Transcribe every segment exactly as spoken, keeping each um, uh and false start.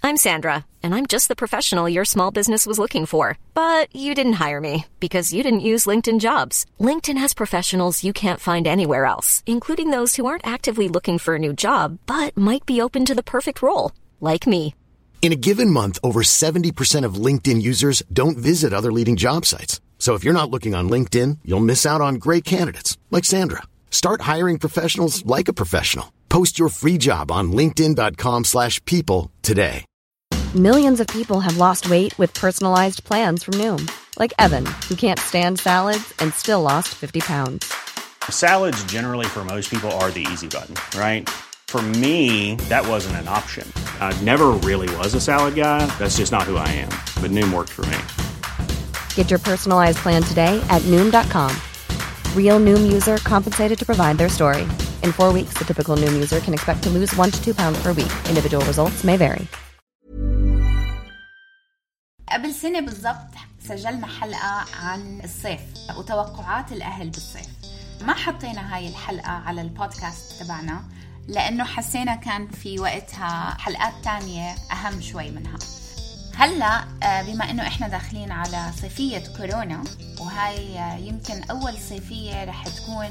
I'm Sandra, and I'm just the professional your small business was looking for. But you didn't hire me because you didn't use LinkedIn Jobs. LinkedIn has professionals you can't find anywhere else, including those who aren't actively looking for a new job, but might be open to the perfect role, like me. In a given month, over seventy percent of LinkedIn users don't visit other leading job sites. So if you're not looking on LinkedIn, you'll miss out on great candidates like Sandra. Start hiring professionals like a professional. Post your free job on linkedin.com slash people today. Millions of people have lost weight with personalized plans from Noom. Like Evan, who can't stand salads and still lost fifty pounds. Salads generally for most people are the easy button, right? For me, that wasn't an option. I never really was a salad guy. That's just not who I am. But Noom worked for me. Get your personalized plan today at Noom dot com. Real Noom user compensated to provide their story. In four weeks, the typical Noom user can expect to lose one to two pounds per week. Individual results may vary. قبل سنة بالضبط سجلنا حلقة عن الصيف وتوقعات الأهل بالصيف. ما حطينا هاي الحلقة على البودكاست تبعنا لأنه حسينا كان في وقتها حلقات تانية أهم شوي منها. هلأ بما أنه إحنا داخلين على صيفية كورونا، وهاي يمكن أول صيفية رح تكون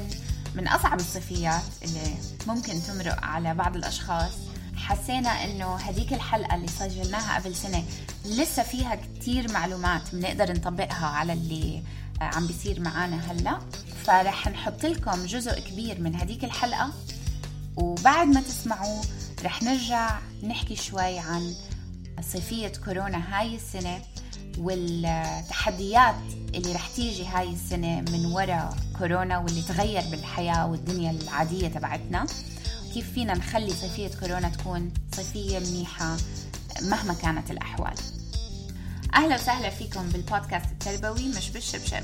من أصعب الصيفيات اللي ممكن تمرق على بعض الأشخاص، حسينا أنه هديك الحلقة اللي سجلناها قبل سنة لسه فيها كتير معلومات بنقدر نطبقها على اللي عم بيصير معانا هلأ. فرح نحط لكم جزء كبير من هديك الحلقة، وبعد ما تسمعوا رح نرجع نحكي شوي عن صيفية كورونا هاي السنة والتحديات اللي رح تيجي هاي السنة من وراء كورونا واللي تغير بالحياة والدنيا العادية تبعتنا. كيف فينا نخلي صيفية كورونا تكون صيفية منيحة مهما كانت الأحوال. أهلا وسهلا فيكم بالبودكاست التربوي مش بالشبشب.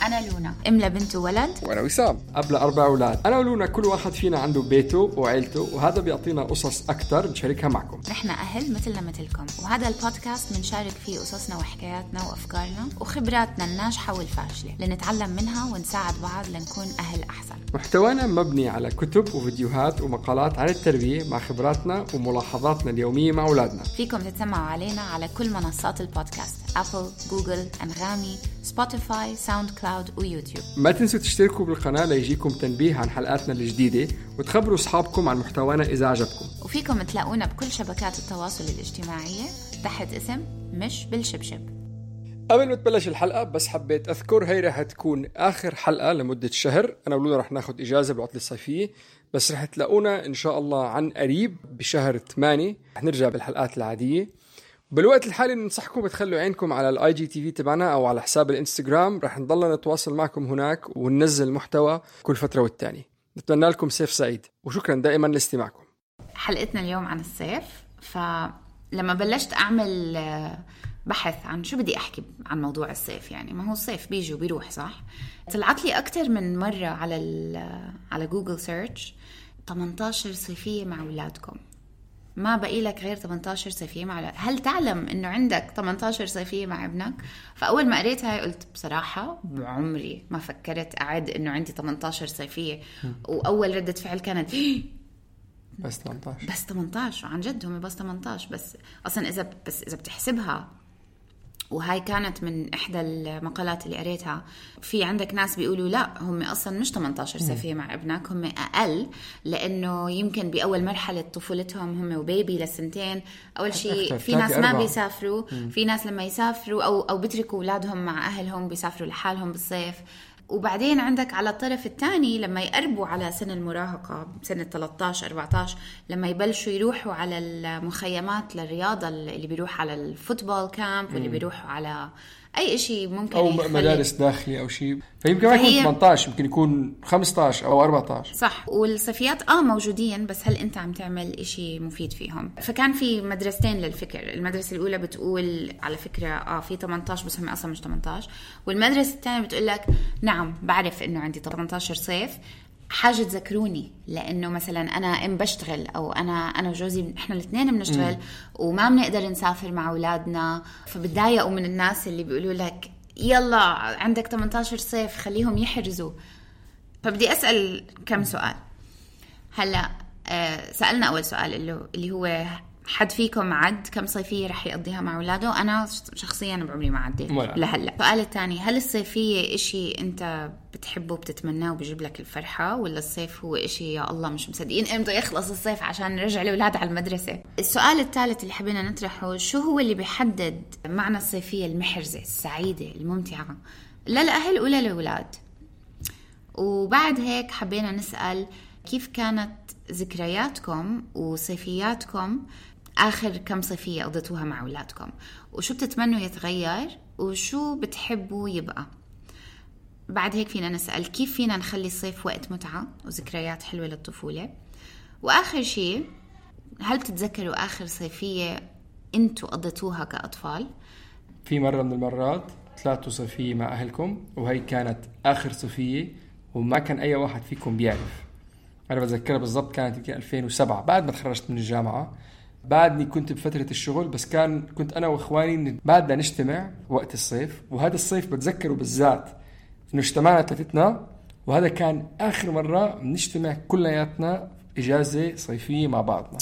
أنا لونا أم لبنت وولد، وأنا وسام قبل أربع أولاد. أنا ولونا كل واحد فينا عنده بيته وعيلته، وهذا بيعطينا قصص أكتر نشاركها معكم. نحن أهل مثلنا مثلكم، وهذا البودكاست بنشارك فيه قصصنا وحكاياتنا وأفكارنا وخبراتنا الناجحة والفاشلة لنتعلم منها ونساعد بعض لنكون أهل أحسن. محتوانا مبني على كتب وفيديوهات ومقالات عن التربية مع خبراتنا وملاحظاتنا اليومية مع أولادنا. فيكم تتسمعوا علينا على كل منصات البودكاست: أبل، جوجل، أنغامي، سبوتيفاي، ساوند كلاود ويوتيوب. ما تنسوا تشتركوا بالقناة ليجيكم تنبيه عن حلقاتنا الجديدة، وتخبروا أصحابكم عن محتوانا إذا عجبكم. وفيكم تلاقونا بكل شبكات التواصل الاجتماعية تحت اسم مش بالشبشب. قبل ما تبلش الحلقة بس حبيت أذكر هي رح تكون آخر حلقة لمدة شهر. أنا ولونا رح ناخد إجازة بالعطلة الصيفية، بس رح تلاقونا إن شاء الله عن قريب بشهر ثمانية رح نرجع بالحلقات العادية. بالوقت الحالي ننصحكم تخلوا عينكم على الاي جي تي في تبعنا او على حساب الانستغرام، رح نضلنا نتواصل معكم هناك وننزل محتوى كل فترة والتانية. نتمنى لكم صيف سعيد، وشكرا دائما لاستماعكم. حلقتنا اليوم عن الصيف. فلما بلشت اعمل بحث عن شو بدي احكي عن موضوع الصيف، يعني ما هو الصيف بيجي وبيروح صح، طلعت لي اكتر من مرة على على جوجل سيرش ثمانية عشر صيفية مع اولادكم. ما بقي لك غير ثمانية عشر صيفية مع أولاد. هل تعلم إنه عندك ثمانية عشر صيفية مع ابنك؟ فأول ما قريتها قلت بصراحة بعمري ما فكرت أعد إنه عندي ثمانية عشر صيفية. وأول ردة فعل كانت بس ثمانية عشر بس ثمانية عشر عن جد هم بس ثمانية عشر. بس أصلا إذا بس إذا بتحسبها، وهاي كانت من إحدى المقالات اللي قريتها، في عندك ناس بيقولوا لا هم أصلا مش ثمانية عشر صيفية مع ابنك، هم أقل، لأنه يمكن بأول مرحلة طفولتهم هم وبيبي لسنتين. أول شيء في ناس ما بيسافروا، في ناس لما يسافروا أو أو بيتركوا أولادهم مع أهلهم بيسافروا لحالهم بالصيف. وبعدين عندك على الطرف الثاني لما يقربوا على سن المراهقة، سنة ثلاثة عشر أربعة عشر، لما يبلشوا يروحوا على المخيمات للرياضة، اللي بيروح على الفوتبول كامب واللي بيروحوا على أي شيء ممكن أو مدارس داخلية أو شيء، فيمكن ما يكون ثمانية عشر، يمكن يكون خمسة عشر أو أربعة عشر. صح. والصيفيات آه موجودين، بس هل أنت عم تعمل إشي مفيد فيهم؟ فكان في مدرستين للفكر. المدرسة الأولى بتقول على فكرة آه في ثمانية عشر بس هم أصلا مش ثمانية عشر، والمدرسة الثانية بتقول لك نعم بعرف إنه عندي ثمانية عشر صيف، حاجة تذكروني لأنه مثلا أنا أم بشتغل، أو أنا أنا وجوزي إحنا الاثنين بنشتغل م. وما بنقدر نسافر مع أولادنا. فبتضايقوا من الناس اللي بيقولوا لك يلا عندك ثمانية عشر صيف خليهم يحرزوا. فبدي أسأل كم سؤال. هلأ آه سألنا أول سؤال اللي هو حد فيكم عد كم صيفية رح يقضيها مع أولاده؟ أنا شخصيا بعمري ما عديت لهلا. السؤال الثاني، هل الصيفية إشي أنت بتحبه بتتمناه وبيجيب لك الفرحة، ولا الصيف هو إشي يا الله مش مصدقين إمتى يخلص الصيف عشان نرجع الأولاد على المدرسة؟ السؤال الثالث اللي حبينا نطرحه، شو هو اللي بيحدد معنى الصيفية المحرزة السعيدة الممتعة للأهل ولا للأولاد؟ وبعد هيك حبينا نسأل كيف كانت ذكرياتكم وصيفياتكم آخر كم صيفية قضيتوها مع أولادكم، وشو بتتمنوا يتغير وشو بتحبوا يبقى. بعد هيك فينا نسأل كيف فينا نخلي الصيف وقت متعة وذكريات حلوة للطفولة. وآخر شيء، هل بتتذكروا آخر صيفية أنتوا قضيتوها كأطفال؟ في مرة من المرات طلعتوا صيفية مع أهلكم وهي كانت آخر صيفية وما كان أي واحد فيكم بيعرف. أنا بتذكرها بالضبط، كانت يمكن ألفين وسبعة بعد ما تخرجت من الجامعة. بعدني كنت بفترة الشغل، بس كان كنت أنا وإخواني بعدنا نجتمع وقت الصيف. وهذا الصيف بتذكره بالذات إنه اجتمعنا ثلاثتنا، وهذا كان آخر مرة نجتمع كلياتنا إجازة صيفية مع بعضنا.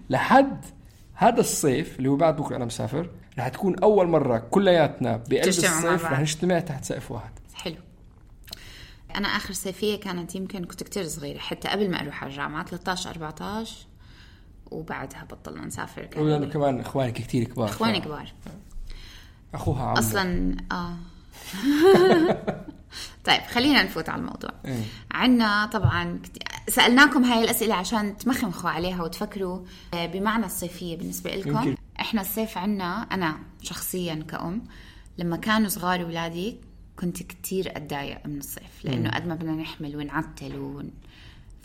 لحد هذا الصيف اللي هو بعد بكرة أنا مسافر، رح تكون أول مرة كلياتنا بقلب الصيف رح نجتمع تحت سقف واحد. حلو. أنا آخر صيفية كانت يمكن كنت كتير صغيرة، حتى قبل ما أروح على الجامعة، ثلاثة عشر أربعة عشر، وبعدها بطلنا نسافر. ولأنه كمان إخوانك كتير كبار. إخواني كبار. أخوها عمو. أصلاً آه طيب خلينا نفوت على الموضوع. إيه؟ عنا طبعاً سألناكم هاي الأسئلة عشان تمخمخوا عليها وتفكروا بمعنى الصيفية بالنسبة لكم. يمكن. إحنا الصيف عنا، أنا شخصياً كأم لما كانوا صغار ولادي كنت كتير أتضايق من الصيف، لأنه قد ما بدنا نحمل ونعتل ون...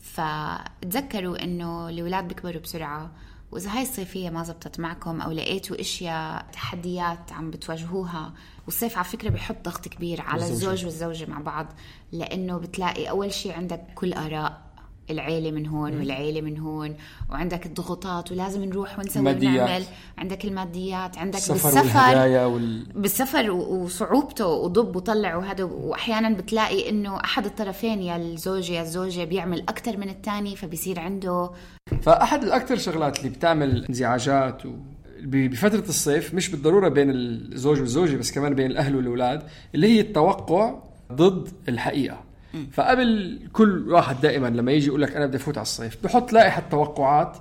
فتذكروا إنه الأولاد بيكبروا بسرعة، وإذا هاي الصيفية ما زبطت معكم أو لقيتوا إشياء تحديات عم بتواجهوها، والصيف على فكرة بيحط ضغط كبير على الزوجة. الزوج والزوجة مع بعض، لأنه بتلاقي أول شيء عندك كل آراء العيلة من هون والعيلة من هون، وعندك الضغوطات ولازم نروح ونسوي ونعمل، عندك الماديات، عندك بالسفر وال... بالسفر وصعوبته وضب وطلع وهذا، وأحيانا بتلاقي إنه أحد الطرفين يا الزوج يا الزوجة بيعمل أكتر من التاني، فبيصير عنده. فأحد الأكثر شغلات اللي بتعمل انزعاجات و... بفترة الصيف، مش بالضرورة بين الزوج والزوجة بس كمان بين الأهل والأولاد، اللي هي التوقع ضد الحقيقة. فقبل كل واحد دائما لما يجي يقول لك أنا بدي أفوت على الصيف بحط لائحة توقعات،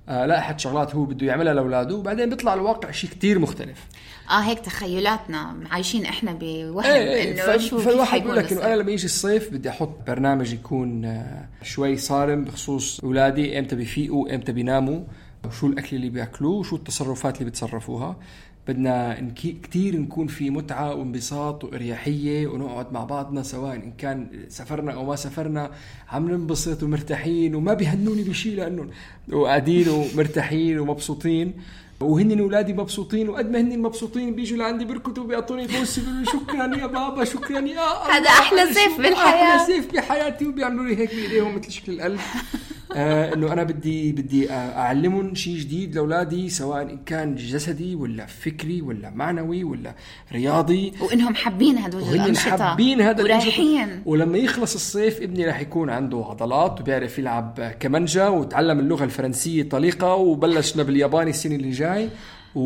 آه لائحة شغلات هو بده يعملها لأولاده، وبعدين بيطلع الواقع شيء كتير مختلف. آه هيك تخيلاتنا عايشين إحنا بوهم ايه إنه ايه شو فالواحد يقول لك إنه أنا لما يجي الصيف بدي أحط برنامج يكون آه شوي صارم بخصوص أولادي، إمتى بيفيقوا إمتى بيناموا، وشو الأكل اللي بيأكلوه وشو التصرفات اللي بيتصرفوها. بدنا كتير نكون في متعة وانبساط وإريحية، ونقعد مع بعضنا سواء إن كان سفرنا أو ما سفرنا، عم ننبسط ومرتاحين وما بيهنوني بشي، لأنه وقاعدين ومرتاحين ومبسوطين، وهن أولادي مبسوطين، وقد ما هن مبسوطين بيجوا لعندي بركضوا وبيعطوني فوس شكرا يا بابا شكرا يا هذا أحلى صيف بالحياة، أحلى صيف بحياتي، وبيعملوا لي هيك بإيديهم مثل شكل القلب. آه إنه أنا بدي بدي أعلمهم شيء جديد لأولادي، سواء إن كان جسدي ولا فكري ولا معنوي ولا رياضي، وإنهم حابين هدول الأنشطة حابين هذا ورايحين. ولما يخلص الصيف ابني راح يكون عنده عضلات وبيعرف يلعب كمانجا وتعلم اللغة الفرنسية طليقة وبلشنا بالياباني السنة اللي جاي و...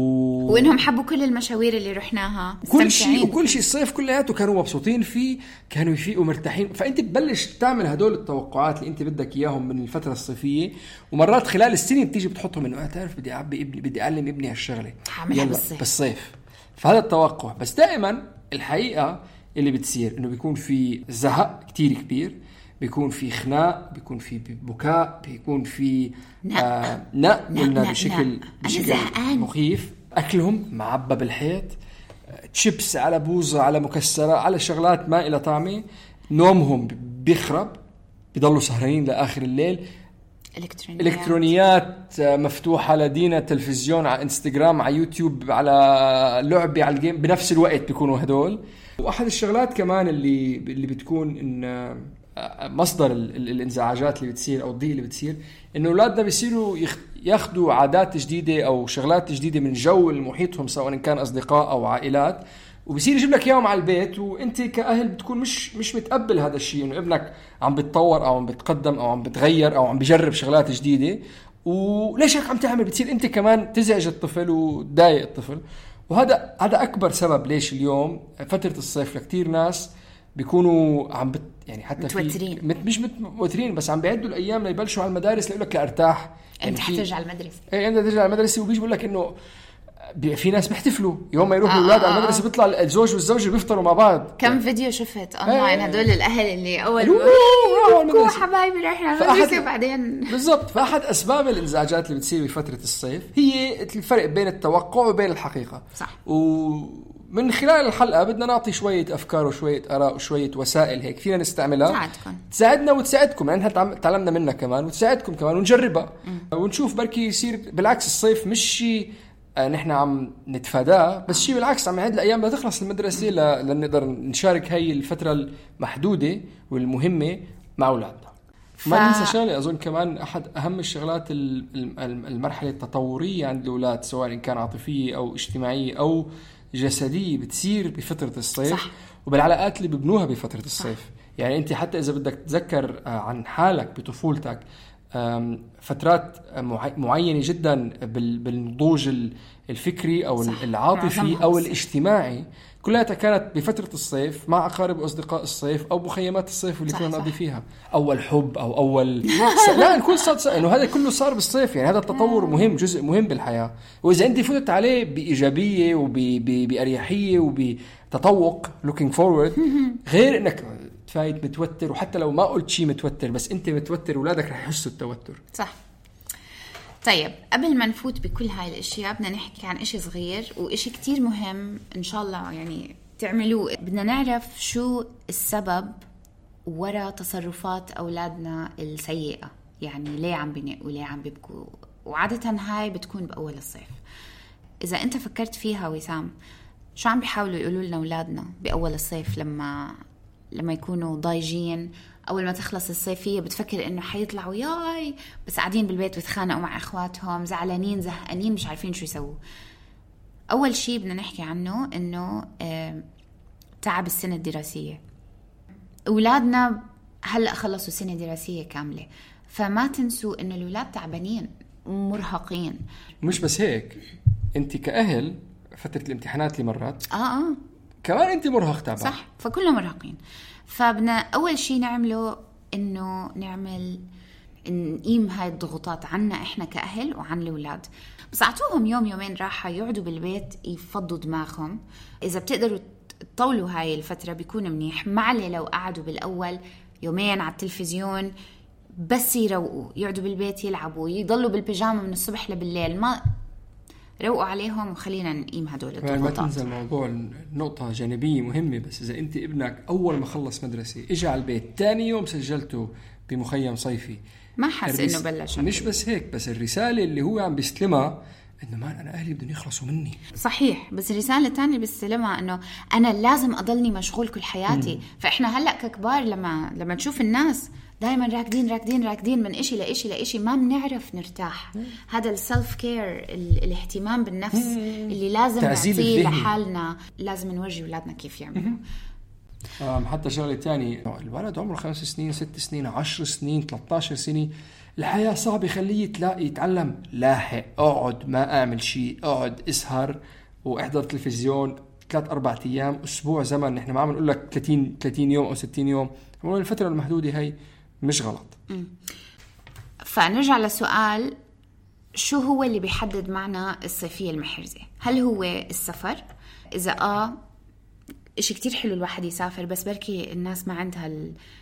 وإنهم حبوا كل المشاوير اللي رحناها، كل شيء وكل شيء الصيف كلياته كانوا مبسوطين فيه، كانوا يفيقوا مرتاحين. فأنت تبلش تعمل هدول التوقعات اللي أنت بدك إياهم من الفترة الصيفية، ومرات خلال السنة بتيجي بتحطهم إنه أنا تعرف بدي أعبي ابني، بدي أعلم ابني هالشغلة يلا بالصيف. بالصيف. فهذا التوقع. بس دائما الحقيقة اللي بتصير إنه بيكون في زهق كتير كبير، بيكون في خناق، بيكون في بكاء، بيكون في آه نق قلنا بشكل بشكل مخيف، أكلهم معبى بالحيط، تشيبس على بوزة على مكسرة على شغلات ما إلى طعمة، نومهم بيخرب، بيضلوا سهرانين لآخر الليل، إلكترونيات, إلكترونيات مفتوحة لدينا، تلفزيون على إنستغرام على يوتيوب على لعبة على الجيم بنفس الوقت بيكونوا هدول. وأحد الشغلات كمان اللي اللي بتكون إن مصدر الانزعاجات اللي بتصير أو الضيق اللي بتصير، إنه أولادنا بيصيروا ياخدوا عادات جديدة أو شغلات جديدة من جو المحيطهم سواء كان أصدقاء أو عائلات، وبيصير يجيب لك إياهم على البيت، وأنت كأهل بتكون مش مش متقبل هذا الشيء، إنه ابنك عم بيتطور أو عم بيتقدم أو عم بتغير أو عم بيجرب شغلات جديدة، وليش هيك عم تعمل؟ بتصير انت كمان تزعج الطفل وتضايق الطفل. وهذا هذا اكبر سبب ليش اليوم فتره الصيف لكتير ناس بيكونوا عم بت يعني حتى متوترين. مت مش متوترين بس عم بيعدوا الايام ليبلشوا على المدارس ليقول لك لارتاح يعني انت حترجع على المدرسه. ايه انت ترجع على المدرسه وبيجي بقول لك انه في ناس بيحتفلوا يوم ما يروحوا الاولاد آه على المدرسه. بيطلع الزوج والزوجه بيفطروا مع بعض. كم فيديو شفت اونلاين هدول الاهل اللي اول ما حبايبي رايحين على المدرسه بعدين بالضبط. فاحد اسباب الانزعاجات اللي بتصير بفتره الصيف هي الفرق بين التوقع وبين الحقيقه. صح. ومن خلال الحلقه بدنا نعطي شويه افكار وشويه اراء وشويه وسائل هيك فينا نستعملها تساعدكم تساعدنا وتساعدكم يعني احنا تعلمنا منها كمان وتساعدكم كمان ونجربها م. ونشوف بركي يصير بالعكس الصيف مش شيء نحن عم نتفاداه بس شيء بالعكس عم يعد الأيام بدها تخلص المدرسة لنقدر نشارك هاي الفترة المحدودة والمهمة مع أولادنا. ف... ما ننسى شغلة أظن كمان أحد أهم الشغلات المرحلة التطورية عند الأولاد سواء كان عاطفية أو اجتماعية أو جسدية بتصير بفترة الصيف. صح. وبالعلاقات اللي ببنوها بفترة الصيف. صح. يعني أنت حتى إذا بدك تتذكر عن حالك بطفولتك فترات معينة جدا بالنضوج الفكري أو صح. العاطفي أو الاجتماعي كلها كانت بفترة الصيف مع أقارب وأصدقاء الصيف أو مخيمات الصيف اللي كنا نقضي فيها أول حب أو أول س... لا الكل صار إنه هذا كله صار بالصيف. يعني هذا التطور مهم جزء مهم بالحياة. وإذا أنت فتت عليه بإيجابية وبأريحية وبتطوق looking forward غير إنك فايت متوتر وحتى لو ما قلت شيء متوتر بس انت متوتر ولادك رح يحسوا التوتر. صح. طيب قبل ما نفوت بكل هاي الاشياء بدنا نحكي عن اشي صغير واشي كتير مهم ان شاء الله يعني تعملوه. بدنا نعرف شو السبب وراء تصرفات اولادنا السيئة. يعني ليه عم بينقوا وليه عم بيبكوا وعادة هاي بتكون باول الصيف. اذا انت فكرت فيها وسام شو عم بيحاولوا يقولوا لنا اولادنا باول الصيف لما لما يكونوا ضايجين؟ أول ما تخلص الصيفية بتفكر إنه حيطلعوا ياي بس قاعدين بالبيت بتخانقوا مع إخواتهم زعلانين زهقانين مش عارفين شو يسووا. أول شيء بدنا نحكي عنه إنه آه تعب السنة الدراسية. أولادنا هلأ خلصوا سنة دراسية كاملة فما تنسوا إنه الأولاد تعبانين مرهقين. مش بس هيك أنت كأهل فترة الامتحانات اللي مرات آه آه كمان انت مرهق تعبان. صح. فكلنا مرهقين. فبنا اول شيء نعمله انه نعمل نقيم هاي الضغوطات عنا احنا كأهل وعن الاولاد. بس اعطوهم يوم يومين راحه يقعدوا بالبيت يفضوا دماغهم. اذا بتقدروا تطولوا هاي الفتره بيكون منيح. معلي لو قعدوا بالاول يومين على التلفزيون بس يروقوا يقعدوا بالبيت يلعبوا يضلوا بالبيجامه من الصبح لبالليل ما روقوا عليهم وخلينا نقيم هدول الضغوطات. ما تنسى الموضوع نقطة جانبية مهمة. بس إذا أنت ابنك أول ما خلص مدرسة إجا على البيت تاني يوم سجلته بمخيم صيفي ما حس الرس... إنه بلش. مش بس هيك بس الرسالة اللي هو عم بيستلمها إنه ما أنا أهلي بدهم يخلصوا مني. صحيح. بس الرسالة الثانية بيستلمها إنه أنا لازم أضلني مشغول كل حياتي. م. فإحنا هلأ ككبار لما لما نشوف الناس دائما راكدين راكدين راكدين من إشي لإشي لإشي ما بنعرف نرتاح. مم. هذا السلف كير الاهتمام بالنفس مم. اللي لازم نعطيه لحالنا لازم نورجي أولادنا كيف يعملوا. حتى شغلة تاني الولد عمره خمس سنين ست سنين عشر سنين ثلاثة عشر سنة الحياة صعبة خليه تلاقي يتعلم لاحق. اقعد ما اعمل شيء اقعد اسهر واحضر تلفزيون ثلاث أربعة أيام أسبوع زمن. نحن ما عم نقول لك ثلاثين ثلاثين يوم أو ستين يوم. الفترة المحدودة هاي مش غلط. م. فنرجع لسؤال شو هو اللي بيحدد معنى الصيفية المحرزة؟ هل هو السفر؟ إذا آه إشي كتير حلو الواحد يسافر بس بركي الناس ما عندها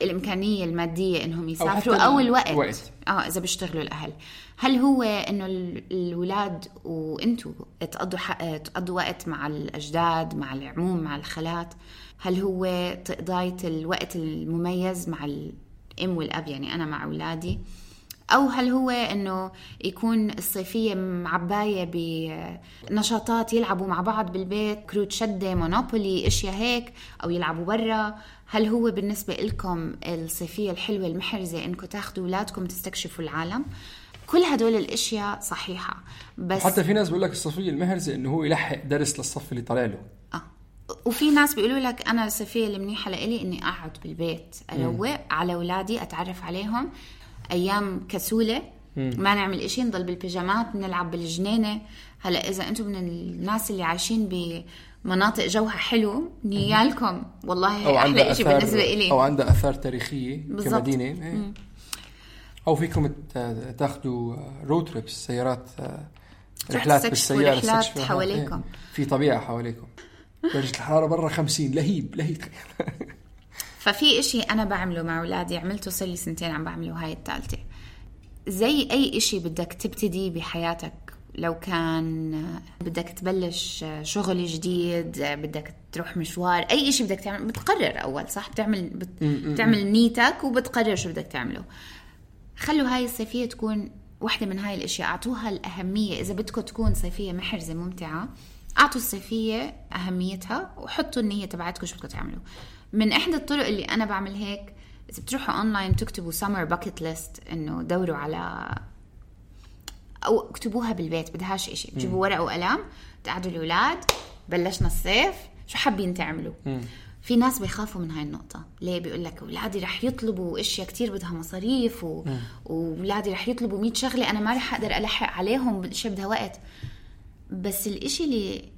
الإمكانية المادية إنهم يسافروا أو, أو الوقت وقت. آه إذا بيشتغلوا الأهل. هل هو إنه الولاد وإنتوا تقضوا تقضوا وقت مع الأجداد مع العموم مع الخالات؟ هل هو تقضية الوقت المميز مع الأم والأب يعني أنا مع أولادي؟ أو هل هو إنه يكون الصيفية معباية بنشاطات يلعبوا مع بعض بالبيت كروت شدة مونوبولي إشياء هيك أو يلعبوا برا؟ هل هو بالنسبة لكم الصيفية الحلوة المحرزة إنكم تاخدوا أولادكم تستكشفوا العالم؟ كل هدول الأشياء صحيحة. بس حتى في ناس بيقول لك الصيفية المحرزة إنه هو يلحق درس للصف اللي طالع له. آه. وفي ناس بيقولوا لك أنا الصيفية المنيحة لإلي إني أقعد بالبيت أروق على أولادي أتعرف عليهم أيام كسولة ما نعمل إشي، نضل بالبيجامات، نلعب بالجنينة. هلا إذا أنتم من الناس اللي عايشين بمناطق جوها حلو، نيالكم والله أحلى إشي بالنسبة إلي، أو عنده آثار تاريخية كمدينة. أو فيكم تاخدوا رود تريبس، سيارات، رحلات بالسيارة، رحلات حواليكم، في طبيعة حواليكم. درجة الحرارة برا خمسين، لهيب لهيب. ففي إشي أنا بعمله مع أولادي، عملته صار لي سنتين عم بعمله، هاي الثالثة. زي أي إشي بدك تبتدي بحياتك، لو كان بدك تبلش شغل جديد، بدك تروح مشوار، أي إشي بدك تعمل بتقرر أول، صح؟ بتعمل بت... بتعمل نيتك وبتقرر شو بدك تعمله. خلوا هاي الصيفية تكون واحدة من هاي الأشياء، أعطوها الأهمية. إذا بدكم تكون صيفية محرزة ممتعة، أعطوا الصيفية أهميتها وحطوا النية تبعتكم شو بدكم تعملوا. من إحدى الطرق اللي أنا بعمل هيك، إذا بتروحوا أونلاين تكتبوا summer bucket list، إنه دوروا على، أو اكتبوها بالبيت، بدهاش إشي، بتجيبوا ورقة وقلم، تقعدوا الأولاد، بلشنا الصيف، شو حابين تعملوا؟ م. في ناس بيخافوا من هاي النقطة. ليه؟ بيقول لك أولادي رح يطلبوا إشياء كتير بدها مصاريف، و... وأولادي رح يطلبوا مية شغلة، أنا ما رح أقدر ألحق عليهم، بالشي بدها وقت. بس الإشي اللي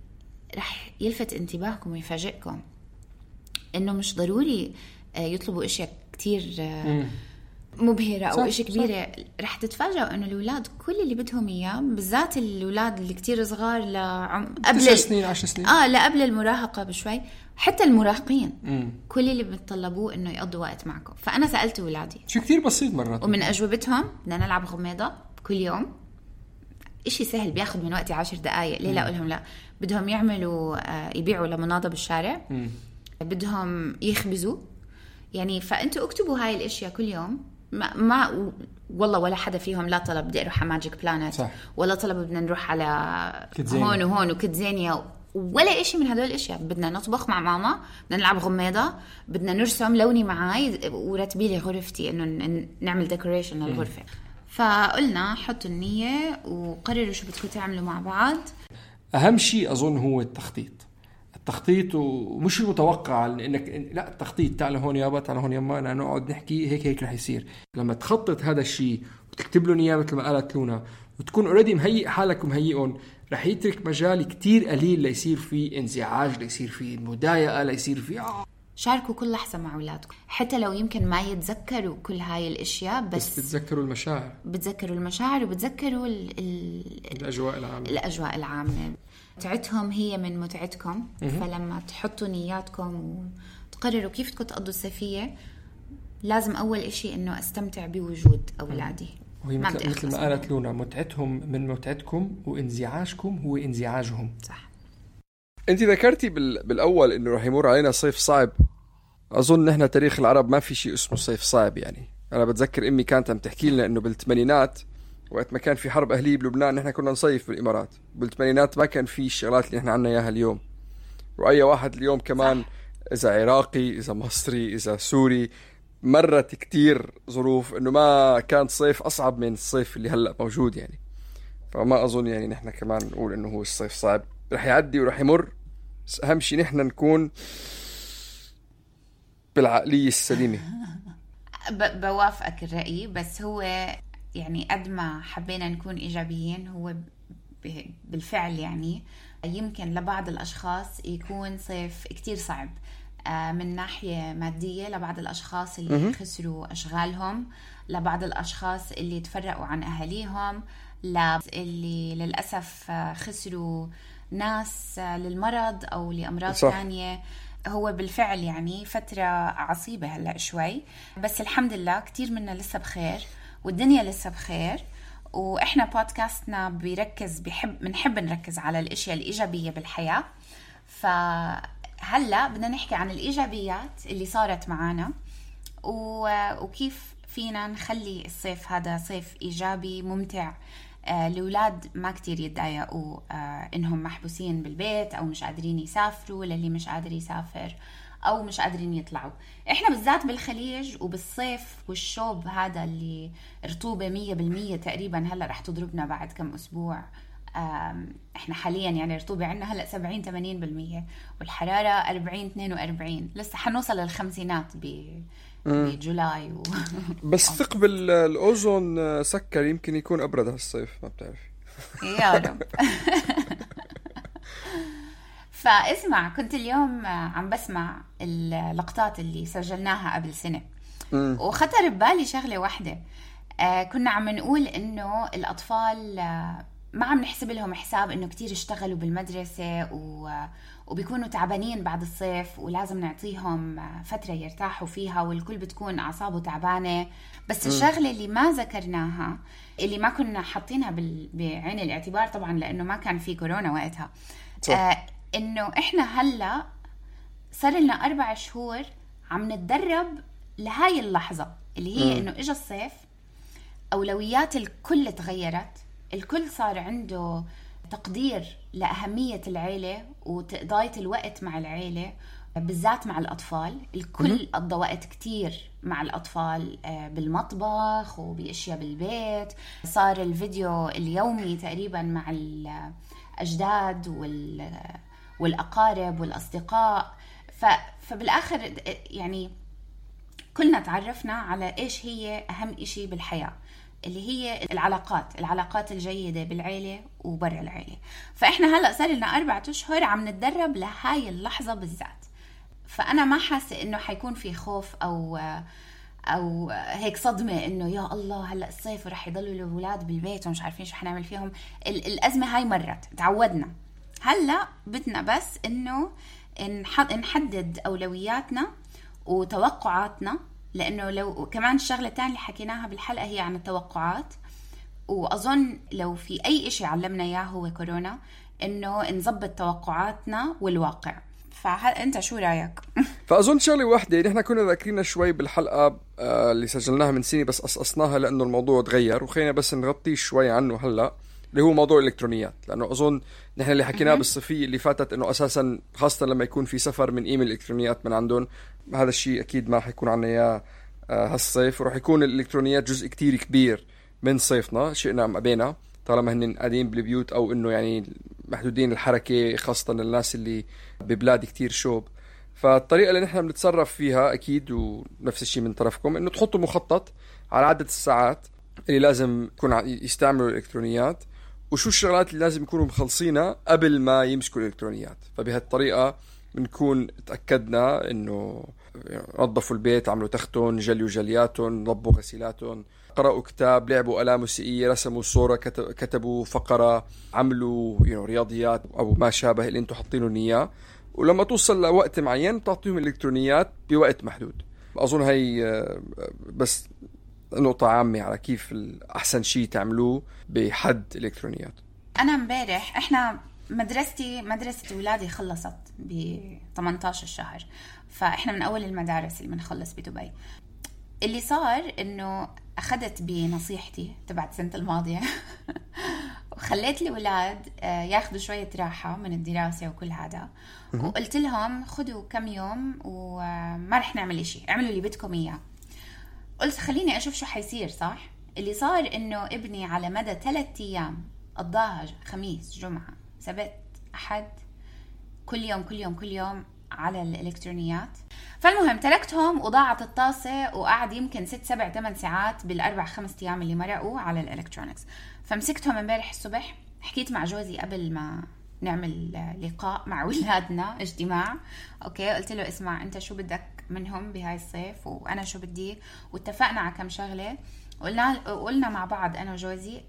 رح يلفت انتباهكم ويفاجئكم إنه مش ضروري يطلبوا إشياء كتير مبهرة أو إشي كبيرة. رح تتفاجئوا إنه الأولاد كل اللي بدهم إياه، بالذات الأولاد اللي كتير صغار لعم قبل تسع سنين عشر سنين، آه لا قبل المراهقة بشوي، حتى المراهقين مم. كل اللي بيتطلبوه إنه يقضوا وقت معكم. فأنا سألت أولادي شو كتير بسيط مرات، ومن أجوبتهم بدنا نلعب غميضة كل يوم، إشي سهل بياخد من وقتي عشر دقايق. ليه لا أقولهم لا؟ بدهم يعملوا آه يبيعوا لمناضة بالشارع، مم. بدهم يخبزوا يعني. فأنتوا اكتبوا هاي الاشياء كل يوم. ما, ما والله ولا حدا فيهم لا طلب بدي اروح على ماجيك بلانت، ولا طلب بدنا نروح على كتزينيا. هون وهون وكتزينيا، ولا إشي من هدول الاشياء. بدنا نطبخ مع ماما، بدنا نلعب غميضة، بدنا نرسم، لوني معاي ورتبي لي غرفتي، انه نعمل ديكوريشن للغرفة. فقلنا حطوا النية وقرروا شو بدكم تعملوا مع بعض. اهم شيء اظن هو التخطيط. التخطيط ومش المتوقع انك لا، التخطيط تعال هون يابا، تعال هون يما، أنا نقعد نحكي هيك هيك رح يصير. لما تخطط هذا الشيء وتكتب له نية مثل ما قالت لونا، وتكون اوريدي مهيئ حالك ومهيئون، رح يترك مجال كتير قليل ليصير فيه انزعاج، ليصير فيه مضايقة، ليصير فيه آه. شاركوا كل لحظة مع أولادكم، حتى لو يمكن ما يتذكروا كل هاي الاشياء، بس, بس بتذكروا المشاعر، بتذكروا المشاعر وبتذكروا ال ال الاجواء العامة. الاجواء العامة متعتهم هي من متعتكم. فلما تحطوا نياتكم وتقرروا كيف بدكم تقضوا الصيفية، لازم أول إشي إنه أستمتع بوجود أولادي. وهي مثل, مثل ما قالت لونا، متعتهم من متعتكم، وانزعاجكم هو انزعاجهم. صح. أنت ذكرتي بالأول إنه رح يمر علينا صيف صعب. أظن نحن تاريخ العرب ما في شيء اسمه صيف صعب. يعني أنا بتذكر أمي كانت عم تحكي لنا إنه بالثمانينات وقت ما كان في حرب أهلية بلبنان، نحن كنا نصيف بالإمارات. بالثمانينات ما كان في الشغلات اللي نحن عنا إياها اليوم. وأي واحد اليوم كمان، إذا عراقي، إذا مصري، إذا سوري، مرت كتير ظروف إنه ما كان صيف أصعب من الصيف اللي هلأ موجود. يعني فما أظن يعني نحن كمان نقول إنه هو الصيف صعب. رح يعدي ورح يمر، بس أهم شيء نحن نكون بالعقلية السليمة. بوافقك الرأي، بس هو يعني قد ما حبينا نكون إيجابيين، هو بالفعل يعني يمكن لبعض الأشخاص يكون صيف كتير صعب من ناحية مادية، لبعض الأشخاص اللي خسروا أشغالهم، لبعض الأشخاص اللي تفرقوا عن أهاليهم، اللي للأسف خسروا ناس للمرض أو لأمراض ثانية. هو بالفعل يعني فترة عصيبة هلأ شوي، بس الحمد لله كتير منا لسه بخير والدنيا لسه بخير. وإحنا بودكاستنا بيركز بيحب بنحب نركز على الأشياء الإيجابية بالحياة. فهلأ بدنا نحكي عن الإيجابيات اللي صارت معانا، وكيف فينا نخلي الصيف هذا صيف إيجابي ممتع. آه الأولاد ما كتير يتضايقوا آه إنهم محبوسين بالبيت أو مش قادرين يسافروا، للي مش قادر يسافر أو مش قادرين يطلعوا. إحنا بالذات بالخليج وبالصيف والشوب هذا اللي رطوبة مية بالمية تقريبا هلأ رح تضربنا بعد كم أسبوع. إحنا حاليا يعني رطوبة عنا هلأ سبعين ثمانين بالمية والحرارة أربعين اثنين وأربعين، لسه حنوصل للخمسينات بجولاي و... بس ثقب الأوزون سكر، يمكن يكون أبرد هالصيف، ما بتعرفي. يا رب. فاسمع، كنت اليوم عم بسمع اللقطات اللي سجلناها قبل سنة م. وخطر ببالي شغلة واحدة. آه كنا عم نقول إنه الأطفال آه ما عم نحسب لهم حساب إنه كتير اشتغلوا بالمدرسة و... وبيكونوا تعبانين بعد الصيف، ولازم نعطيهم فترة يرتاحوا فيها، والكل بتكون أعصابه تعبانة. بس م. الشغلة اللي ما ذكرناها، اللي ما كنا حاطينها بال... بعين الاعتبار طبعا لأنه ما كان في كورونا وقتها، آه إنه إحنا هلأ صار لنا أربع شهور عم نتدرب لهاي اللحظة اللي هي م. إنه إجا الصيف، أولويات الكل تغيرت، الكل صار عنده تقدير لأهمية العيلة وتقضية الوقت مع العيلة، بالذات مع الأطفال. الكل قضى وقت كتير مع الأطفال بالمطبخ وبأشياء بالبيت. صار الفيديو اليومي تقريبا مع الأجداد والأقارب والأصدقاء. فبالآخر يعني كلنا تعرفنا على إيش هي أهم إشي بالحياة، اللي هي العلاقات العلاقات الجيدة بالعيلة وبرا العيلة. فإحنا هلأ صار لنا أربعة أشهر عم نتدرب لهاي اللحظة بالذات. فأنا ما حاسة إنه حيكون في خوف أو أو هيك صدمة إنه يا الله هلأ الصيف ورح يضلوا الأولاد بالبيت ومش عارفين شو حنعمل فيهم. الأزمة هاي مرت، تعودنا. هلأ بدنا بس إنه نحدد أولوياتنا وتوقعاتنا، لأنه لو كمان الشغلة الثانية اللي حكيناها بالحلقة هي عن التوقعات. وأظن لو في أي إشي علمنا إياه هو كورونا، إنه نضبط توقعاتنا والواقع. فأنت شو رأيك؟ فأظن شغلة واحدة نحن كنا ذاكرينها شوي بالحلقة اللي سجلناها من سنة، بس قصقصناها لأنه الموضوع تغير وخلينا بس نغطي شوي عنه هلأ، اللي هو موضوع الإلكترونيات. لأنه أظن نحن اللي حكيناه بالصيفية اللي فاتت إنه أساساً خاصة لما يكون في سفر من إيميل الإلكترونيات من عندهم، هذا الشيء أكيد ما حيكون عنا إياه هالصيف، وراح يكون الإلكترونيات جزء كتير كبير من صيفنا، شئنا أم أبينا، طالما هن قاعدين بالبيوت أو إنه يعني محدودين الحركة، خاصة الناس اللي ببلاد كتير شوب. فالطريقة اللي نحن بنتصرف فيها أكيد ونفس الشيء من طرفكم، إنه تحطوا مخطط على عدد الساعات اللي لازم يكون يستعملوا الإلكترونيات، وشو الشغلات اللي لازم يكونوا مخلصينها قبل ما يمسكوا الإلكترونيات. فبهالطريقة بنكون تأكدنا إنه نظفوا البيت، عملوا تختون، جليوا جلياتهم، نظبوا غسيلاتهم، قرأوا كتاب، لعبوا آلة موسيقية، رسموا صورة، كتبوا فقرة، عملوا you know, رياضيات أو ما شابه اللي انتوا حاطينه إياه. ولما توصل لوقت معين تعطيهم الإلكترونيات بوقت محدود. أظن هاي بس نقطة عامة على كيف الأحسن شيء تعملوه بحد الإلكترونيات. أنا مبارح إحنا مدرستي مدرسة ولادي خلصت ب ثمانية عشر الشهر، فإحنا من أول المدارس اللي بنخلص بدبي. اللي صار إنه أخذت بنصيحتي تبعت سنة الماضية وخليت الأولاد ياخدوا شوية راحة من الدراسة وكل هذا، وقلت لهم خدوا كم يوم وما رح نعمل إشي، اعملوا اللي بدكم إياه. قلت خليني أشوف شو حيصير. صح اللي صار إنه ابني على مدى ثلاثة أيام قضاها خميس جمعة سبت أحد كل يوم كل يوم كل يوم على الإلكترونيات. فالمهم تركتهم وضاعت الطاسة، وقعد يمكن ست سبع ثمان ساعات بالأربع خمس أيام اللي مرقوا على الإلكترونيكس. فمسكتهم امبارح الصبح، حكيت مع جوزي قبل ما نعمل لقاء مع ولادنا اجتماع. أوكي قلت له اسمع أنت شو بدك منهم بهاي الصيف وأنا شو بدي، واتفقنا على كم شغلة. قلنا قلنا مع بعض أنا وجوزي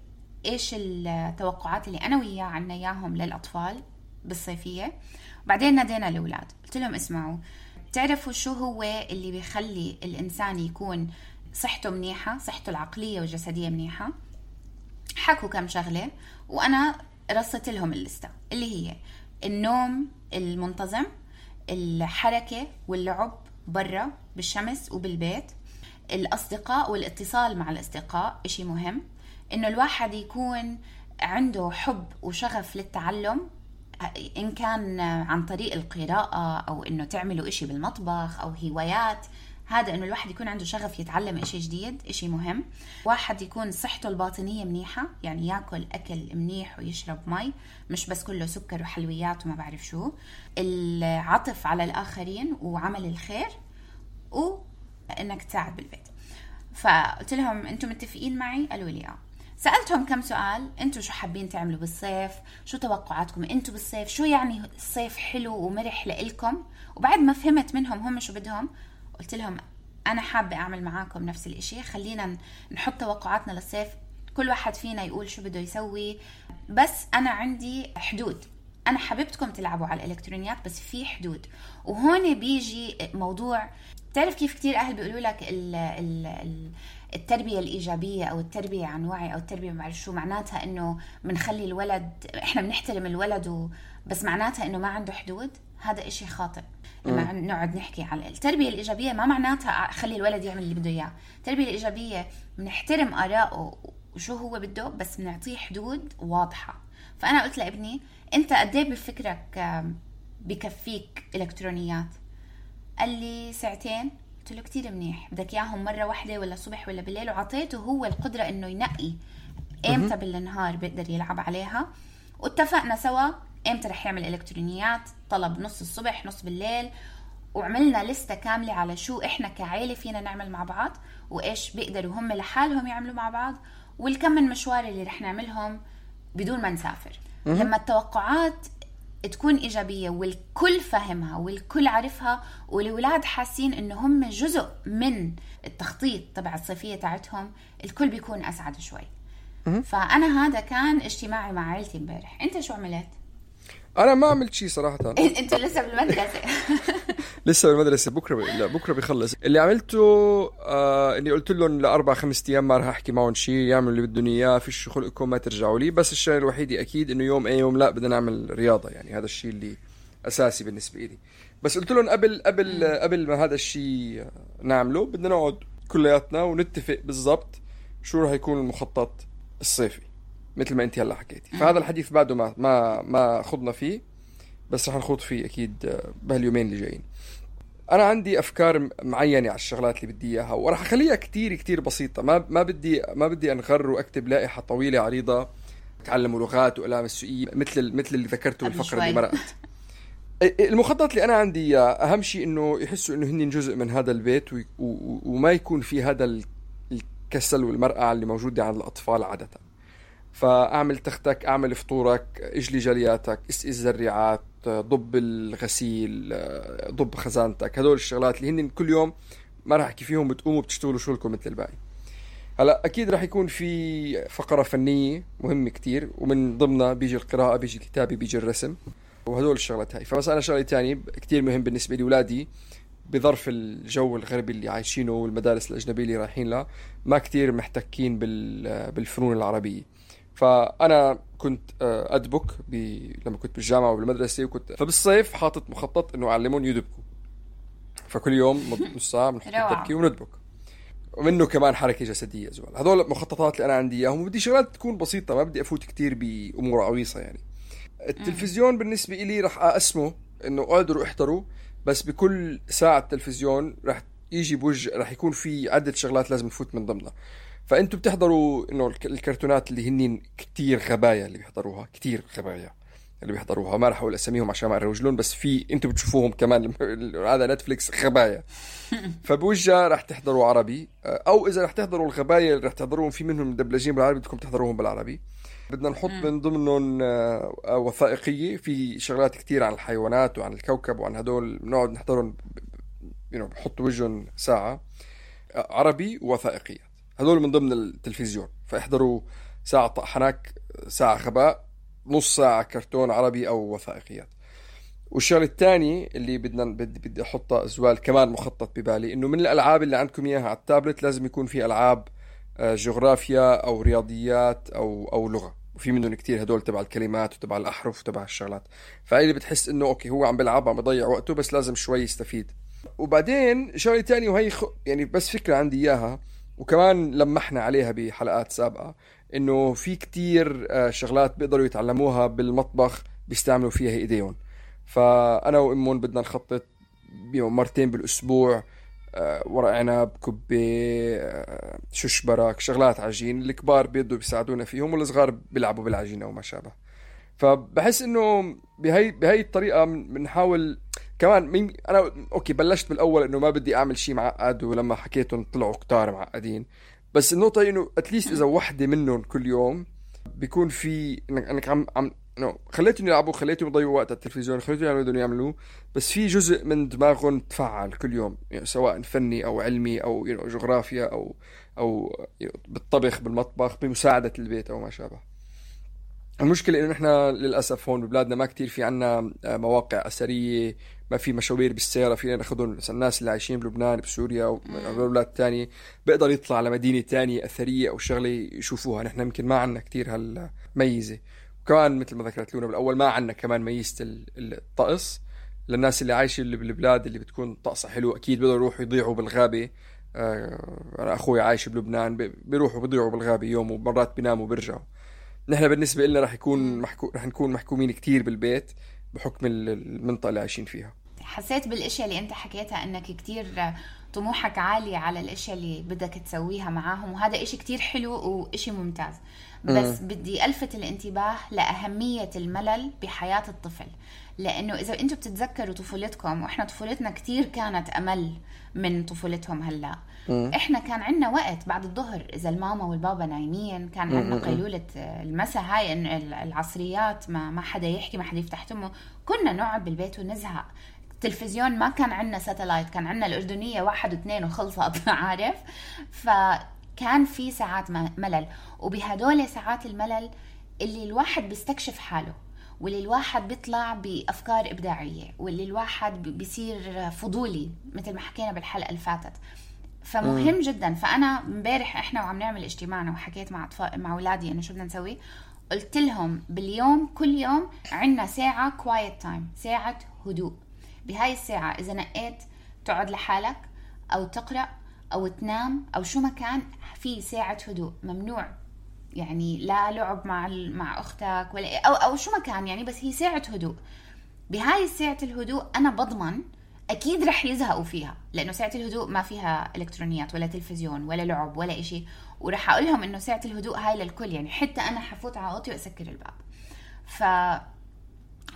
إيش التوقعات اللي أنا وياه عنا إياهم للأطفال بالصيفية. وبعدين نادينا الأولاد قلت لهم اسمعوا، تعرفوا شو هو اللي بيخلي الإنسان يكون صحته منيحة، صحته العقلية والجسدية منيحة؟ حكوا كم شغلة وأنا رصت لهم الليستة، اللي هي النوم المنتظم، الحركة واللعب برا بالشمس وبالبيت، الأصدقاء والاتصال مع الأصدقاء إشي مهم، إنه الواحد يكون عنده حب وشغف للتعلم، إن كان عن طريق القراءة أو إنه تعملوا إشي بالمطبخ أو هوايات. هذا إنه الواحد يكون عنده شغف يتعلم إشي جديد، إشي مهم. واحد يكون صحته الباطنية منيحة، يعني يأكل أكل منيح ويشرب مي، مش بس كله سكر وحلويات وما بعرف شو. العطف على الآخرين وعمل الخير، انك تساعد بالبيت. فقلت لهم انتم متفقين معي؟ قالوا لي اه. سألتهم كم سؤال، انتوا شو حابين تعملوا بالصيف، شو توقعاتكم انتوا بالصيف، شو يعني الصيف حلو ومرح لإلكم. وبعد ما فهمت منهم هم شو بدهم، قلت لهم انا حابة اعمل معاكم نفس الاشي، خلينا نحط توقعاتنا للصيف، كل واحد فينا يقول شو بده يسوي، بس انا عندي حدود. انا حبيبتكم تلعبوا على الالكترونيات بس في حدود. وهون بيجي موضوع، تعرف كيف كتير اهل بيقولوا لك ال ال التربية الإيجابية أو التربية عن وعي أو التربية معرف شو معناتها، إنه بنخلي الولد، إحنا بنحترم الولد و... بس معناتها إنه ما عنده حدود. هذا إشي خاطئ. لما نقعد نحكي على التربية الإيجابية ما معناتها خلي الولد يعمل اللي بده إياه. التربية الإيجابية بنحترم آراءه وشو هو بده، بس بنعطيه حدود واضحة. فأنا قلت لابني أنت قديه بفكرك بكفيك إلكترونيات؟ قال لي ساعتين. قلت له كتير منيح، بدك إياهم مرة واحدة ولا صبح ولا بالليل؟ وعطيته هو القدرة إنه ينقي إمتى بالنهار بيقدر يلعب عليها. واتفقنا سوا إمتى رح يعمل إلكترونيات، طلب نص الصبح نص بالليل، وعملنا لستة كاملة على شو إحنا كعائلة فينا نعمل مع بعض وإيش بيقدروا هم لحالهم يعملوا مع بعض، والكم من مشوار اللي رح نعملهم بدون ما نسافر. لما التوقعات تكون إيجابية والكل فهمها والكل عارفها والولاد حاسين إنه هم جزء من التخطيط تبع الصيفية تاعتهم، الكل بيكون أسعد شوي. فأنا هذا كان اجتماعي مع عائلتي امبارح. أنت شو عملت؟ أنا ما عملت شيء صراحة. أنت لسه بالمدرسة. لسه بالمدرسة. بكرة ب... لا بكرة بيخلص. اللي عملته آه إني قلت لهم لأربع خمس أيام ما رح أحكي معهم شيء، يعملوا اللي بدهم إياه، فيش خلقكم ما ترجعوا لي. بس الشيء الوحيد أكيد إنه يوم أي يوم لا بدنا نعمل رياضة، يعني هذا الشيء اللي أساسي بالنسبة لي. بس قلت لهم قبل قبل قبل ما هذا الشيء نعمله بدنا نقعد كلياتنا ونتفق بالضبط شو رح يكون المخطط الصيفي مثل ما أنت هلا حكيتي. فهذا الحديث بعده ما ما ما خضنا فيه، بس رح نخوض فيه أكيد بهاليومين اللي جايين. أنا عندي أفكار معينة على الشغلات اللي بدي إياها، ورح أخليها كتير كتير بسيطة. ما ما بدي ما بدي أنغر وأكتب لائحة طويلة عريضة تعلموا لغات وألام السوقية مثل مثل اللي ذكرته بالفقرة اللي مرقت. المخطط اللي أنا عندي أهم شيء إنه يحسوا إنه هني جزء من هذا البيت، وما يكون في هذا الكسل والمرقع اللي موجودة عند الأطفال عادة. فأعمل تختك، أعمل فطورك، اجلي جلياتك، اسقي الزريعات، ضب الغسيل، ضب خزانتك. هدول الشغلات اللي هن كل يوم ما راح أحكي فيهم، بتقوموا بتشتغلوا شغلكم مثل الباقي. هلا أكيد راح يكون في فقرة فنية مهمة كتير، ومن ضمنها بيجي القراءة، بيجي الكتابة، بيجي الرسم، وهدول الشغلات هاي. فمثلا شغلة تانية كتير مهم بالنسبة لي، ولادي بظرف الجو الغربي اللي عايشينه والمدارس الأجنبية اللي رايحين لها ما كتير محتكين بالفنون العربية. فأنا كنت أدبك لما كنت بالجامعة وبالمدرسة، وكنت فبالصيف حاطط مخطط إنه أعلمهم يدبكوا. فكل يوم نص ساعة بنحط الدبكة وندبك، ومنه كمان حركة جسدية زوال. هذول مخططات اللي أنا عندي إياهم، وبدي شغلات تكون بسيطة، ما بدي أفوت كتير بأمور عويصة. يعني التلفزيون بالنسبة إلي رح أقسمه إنه قادروا احضروا، بس بكل ساعة تلفزيون رح يجي بوجه رح يكون في عدة شغلات لازم نفوت من ضمنها. فأنتوا بتحضروا إنه الكرتونات اللي هنين كتير غباية اللي بيحضروها، كتير غباية اللي بيحضروها، ما رح أقول أسميهم عشان ما أروجلون، بس في أنتوا بتشوفوهم كمان هذا نتفليكس غباية. فبوجه رح تحضروا عربي، أو إذا رح تحضروا الغباية رح تحضروهم في منهم مدبلجين بالعربي، بدكم تحضروهم بالعربي. بدنا نحط من ضمنهم وثائقية في شغلات كتير عن الحيوانات وعن الكوكب وعن هدول، نقعد نحضرهم بحط وجهن ساعة عربي ووثائقيات. هذول من ضمن التلفزيون، فاحضروا ساعة طحناك، ساعة غباء، نص ساعة كرتون عربي أو وثائقيات. والشغل الثاني اللي بدنا بدي بدي أحطها أزوال كمان مخطط ببالي، إنه من الألعاب اللي عندكم إياها على التابلت لازم يكون في ألعاب جغرافيا أو رياضيات أو أو لغة، وفي منهم كتير هدول تبع الكلمات وتبع الأحرف وتبع الشغلات. فأي اللي بتحس إنه أوكي هو عم بلعب عم بيضيع وقته، بس لازم شوي يستفيد. وبعدين شغلة تانية وهي خ... يعني بس فكرة عندي إياها، وكمان لمحنا عليها بحلقات سابقة، إنه في كتير شغلات بيقدروا يتعلموها بالمطبخ بيستعملوا فيها إيديهم. فأنا وإمون بدنا نخطط مرتين بالأسبوع ورق عنب، كبة، ششبرك، شغلات عجين. الكبار بيقدروا بيساعدونا فيهم، والصغار بيلعبوا بالعجينة وما شابه. فبحس إنه بهاي بهاي الطريقة بنحاول كمان مين انا اوكي بلشت بالاول انه ما بدي اعمل شيء معقد، ولما حكيتهم طلعوا كتار معقدين. بس النقطه انه اتليست اذا وحده منهم كل يوم بيكون في انك انك عم عم انه خليتهم يلعبوا، خليتهم يضيعوا وقت على التلفزيون، خليتهم يعملوا بدهم يعملوه، بس في جزء من دماغهم تفعل كل يوم، يعني سواء فني او علمي او يعني جغرافيا او او يعني بالطبخ بالمطبخ بمساعده البيت او ما شابه. المشكله انه نحن للاسف هون ببلادنا ما كتير في عنا مواقع اثريه، ما في مشاوير بالسياره فينا ناخذهم. الناس اللي عايشين بلبنان بسوريا وبلاد تانية بيقدر يطلع على مدينه تانية اثريه او شغله يشوفوها. نحن يمكن ما عنا كتير هالميزه. وكمان مثل ما ذكرت لونا بالاول ما عنا كمان ميزه الطقس. للناس اللي عايشه اللي بالبلاد اللي بتكون طقسها حلو اكيد بيقدروا يروحوا يضيعوا بالغابه. انا اخوي عايش بلبنان بيروحوا بيضيعوا بالغابه يوم ومرات بيناموا وبيرجعوا. نحن بالنسبه لنا رح يكون محكو... رح نكون محكومين كتير بالبيت بحكم المنطقه اللي عايشين فيها. حسيت بالاشياء اللي انت حكيتها انك كتير طموحك عالي على الاشياء اللي بدك تسويها معاهم، وهذا اشي كتير حلو واشي ممتاز. بس م. بدي الفت الانتباه لاهميه الملل بحياه الطفل، لانه اذا انتم بتتذكروا طفولتكم، واحنا طفولتنا كتير كانت امل من طفولتهم هلا. م. احنا كان عندنا وقت بعد الظهر اذا الماما والبابا نايمين، كان عندنا قيلوله المساء هاي العصريات، ما ما حدا يحكي ما حدا يفتح تمه، كنا نقعد بالبيت ونزهق. التلفزيون ما كان عندنا ساتلايت، كان عندنا الأردنية واحد واثنين وخلصت عارف. فكان في ساعات ملل، وبهدول ساعات الملل اللي الواحد بيستكشف حاله، واللي الواحد بيطلع بأفكار إبداعية، واللي الواحد بيصير فضولي مثل ما حكينا بالحلقة اللي فاتت. فمهم جدا. فأنا مبارح إحنا وعم نعمل اجتماعنا وحكيت مع أطفال مع أولادي إنه شو بدنا نسوي. قلت لهم باليوم كل يوم عندنا ساعة quiet time، ساعة هدوء. بهاي الساعة إذا نقيت تقعد لحالك أو تقرأ أو تنام أو شو ما كان، في ساعة هدوء. ممنوع يعني لا لعب مع مع أختك ولا أو أو شو ما كان يعني، بس هي ساعة هدوء. بهاي الساعة الهدوء أنا بضمن أكيد رح يزهقوا فيها، لأنه ساعة الهدوء ما فيها إلكترونيات ولا تلفزيون ولا لعب ولا إشي. ورح أقول لهم إنه ساعة الهدوء هاي للكل، يعني حتى أنا حفوت على أوضتي وأسكر الباب. ف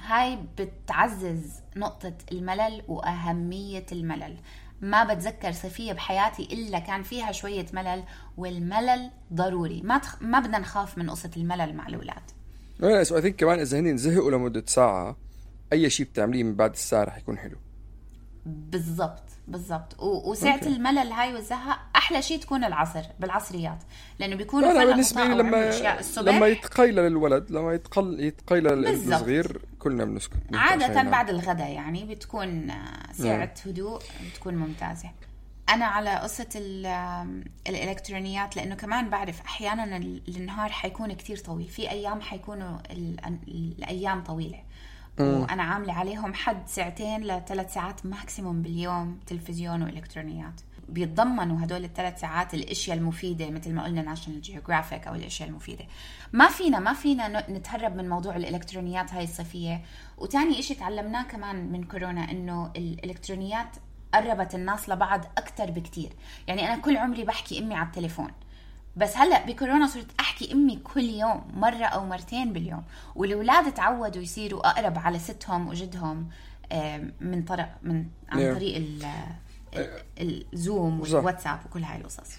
هاي بتعزز نقطة الملل وأهمية الملل. ما بتذكر صيفية بحياتي إلا كان فيها شوية ملل، والملل ضروري. ما تخ... ما بدنا نخاف من قصة الملل مع الأولاد. أنا أثينك كمان إذا هني نزهقوا لمدة ساعة، أي شيء بتعمليه من بعد الساعة رح يكون حلو. بالضبط بالضبط. و... وساعة okay. الملل هاي والزهق أحلى شيء تكون العصر بالعصريات، لأنه بيكونوا أنا بالنسبة لي لما لما يتقيل الولد لما يتقل يتقيل الصغير كلنا بنسكت عادة بعد الغداء، يعني بتكون ساعة yeah. هدوء بتكون ممتازة. أنا على قصة الإلكترونيات، لأنه كمان بعرف أحيانا النهار حيكون كتير طويل، في أيام حيكونوا الأيام طويلة، وأنا عاملة عليهم حد ساعتين لثلاث ساعات ماكسيموم باليوم تلفزيون وإلكترونيات. بيتضمنوا هدول الثلاث ساعات الاشياء المفيده مثل ما قلنا ناشونال جيوغرافيك او الاشياء المفيده. ما فينا ما فينا نتهرب من موضوع الالكترونيات هاي الصيفيه. وتاني اشي تعلمناه كمان من كورونا انه الالكترونيات قربت الناس لبعض اكتر بكتير. يعني انا كل عمري بحكي امي على التليفون، بس هلا بكورونا صرت احكي امي كل يوم مره او مرتين باليوم، والاولاد تعودوا يصيروا اقرب على ستهم وجدهم من طريق من عن طريق الزوم والواتساب وكل هاي القصص.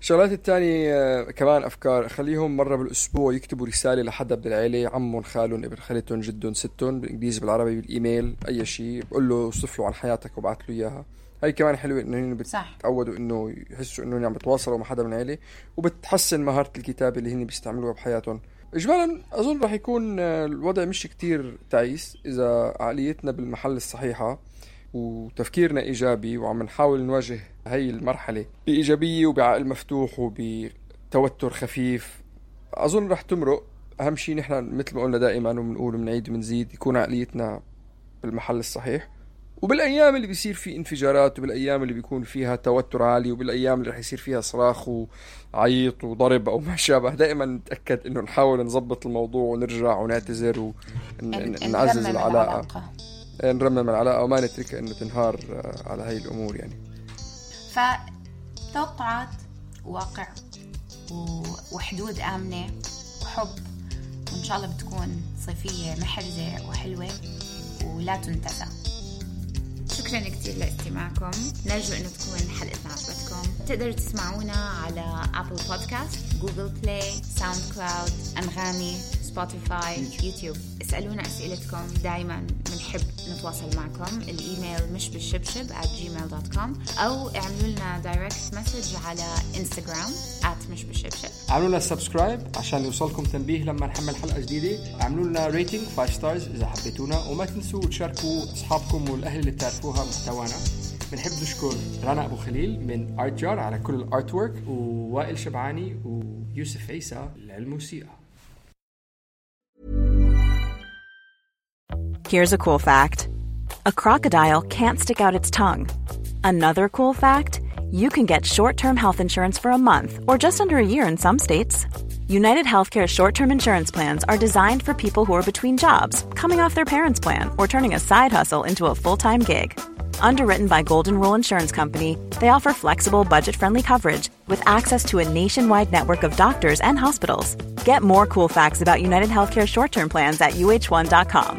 الشغلات الثانية كمان أفكار، خليهم مرة بالأسبوع يكتبوا رسالة لحدا بالعيلة، عمهم خالهم ابن خالتهم جدهم ستهم، بالإنجليزي بالعربي بالإيميل أي شيء، بقول له وصف له عن حياتك وبعث له إياها. هاي كمان حلوة إنه بتعودوا إنه يحسوا إنه عم بتواصلوا مع حدا من العيلة، وبتحسن مهارة الكتابة اللي هن بيستعملوها بحياتهم. إجمالا أظن رح يكون الوضع مش كتير تعيس إذا عقليتنا بالمحل الصحيحة وتفكيرنا إيجابي، وعم نحاول نواجه هاي المرحلة بإيجابية وبعقل مفتوح وبتوتر خفيف. أظن رح تمرق. أهم شيء نحن مثل ما قلنا دائما ومنقول ومنعيد ومنزيد، يكون عقليتنا بالمحل الصحيح. وبالأيام اللي بيصير فيه انفجارات، وبالأيام اللي بيكون فيها توتر عالي، وبالأيام اللي رح يصير فيها صراخ وعيط وضرب أو ما شابه، دائما نتأكد إنه نحاول نضبط الموضوع ونرجع ونعتذر ونعزز العلاقة، نرمم العلاقة وما نترك إنه تنهار على هاي الأمور. يعني فتوقعات واقع وحدود آمنة وحب، وإن شاء الله بتكون صيفية محرزة وحلوة ولا تنتسى. شكرا كتير لاستماعكم. نرجو انه تكون حلقتنا عجبتكم. تقدروا تسمعونا على أبل بودكاست، جوجل بلاي، ساوند كلاود، أنغامي، سبوتيفاي، يوتيوب. اسألونا أسئلتكم، دايما بنحب نتواصل معكم. الإيميل مش بالشبشب at gmail dot com أو اعملوا لنا دايركت مسج على إنستغرام at مش بالشبشب. اعملوا لنا سبسكرايب عشان يوصلكم تنبيه لما نحمل حلقة جديدة. اعملوا لنا ريتنج خمسة ستارز إذا حبيتونا، وما تنسوا تشاركوا أصحابكم والأهل اللي بتعرفوها محتوانا. بنحب نشكر رنا أبو خليل من آرت جار على كل الآرت وورك، ووائل شبعاني ويوسف عيسى للموسيقى. Here's a cool fact. A crocodile can't stick out its tongue. Another cool fact, you can get short-term health insurance for a month or just under a year in some states. United Healthcare short-term insurance plans are designed for people who are between jobs, coming off their parents' plan, or turning a side hustle into a full-time gig. Underwritten by Golden Rule Insurance Company, they offer flexible, budget-friendly coverage with access to a nationwide network of doctors and hospitals. Get more cool facts about United Healthcare short-term plans at U H one dot com.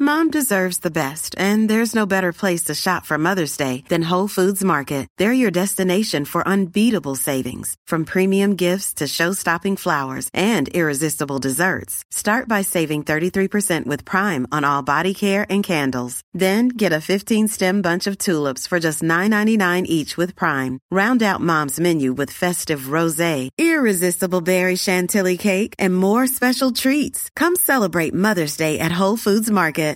Mom deserves the best, and there's no better place to shop for Mother's Day than Whole Foods Market. They're your destination for unbeatable savings, from premium gifts to show-stopping flowers and irresistible desserts. Start by saving thirty-three percent with Prime on all body care and candles. Then get a fifteen-stem bunch of tulips for just nine ninety-nine each with Prime. Round out Mom's menu with festive rosé, irresistible berry chantilly cake, and more special treats. Come celebrate Mother's Day at Whole Foods Market.